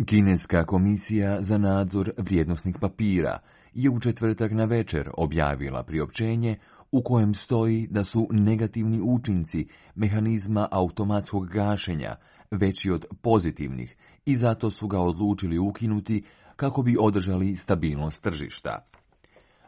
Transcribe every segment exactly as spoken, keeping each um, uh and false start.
Kineska komisija za nadzor vrijednosnih papira je u četvrtak navečer objavila priopćenje u kojem stoji da su negativni učinci mehanizma automatskog gašenja veći od pozitivnih i zato su ga odlučili ukinuti kako bi održali stabilnost tržišta.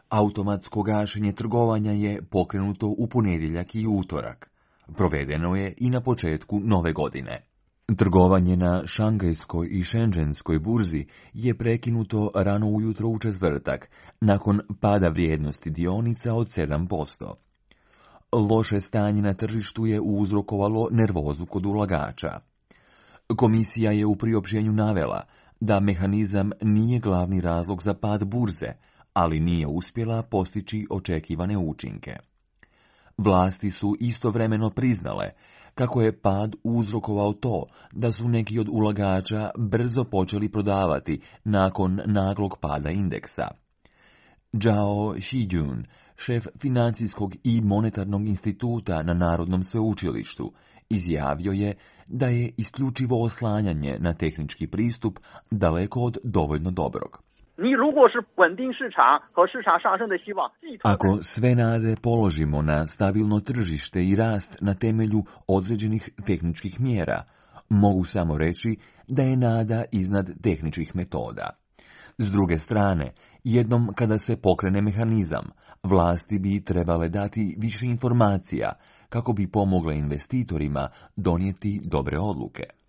Automatsko gašenje trgovanja je pokrenuto u ponedjeljak i utorak. Provedeno je i na početku nove godine. Trgovanje na Šangajskoj i Šenđenskoj burzi je prekinuto rano ujutro u četvrtak, nakon pada vrijednosti dionica od sedam posto. Loše stanje na tržištu je uzrokovalo nervozu kod ulagača. Komisija je u priopćenju navela da mehanizam nije glavni razlog za pad burze, ali nije uspjela postići očekivane učinke. Vlasti su istovremeno priznale kako je pad uzrokovao to da su neki od ulagača brzo počeli prodavati nakon naglog pada indeksa. Zhao Xijun, šef financijskog i monetarnog instituta na Narodnom sveučilištu, izjavio je da je isključivo oslanjanje na tehnički pristup daleko od dovoljno dobrog. Ako sve nade položimo na stabilno tržište i rast na temelju određenih tehničkih mjera, mogu samo reći da je nada iznad tehničkih metoda. S druge strane, jednom kada se pokrene mehanizam, vlasti bi trebale dati više informacija kako bi pomogle investitorima donijeti dobre odluke.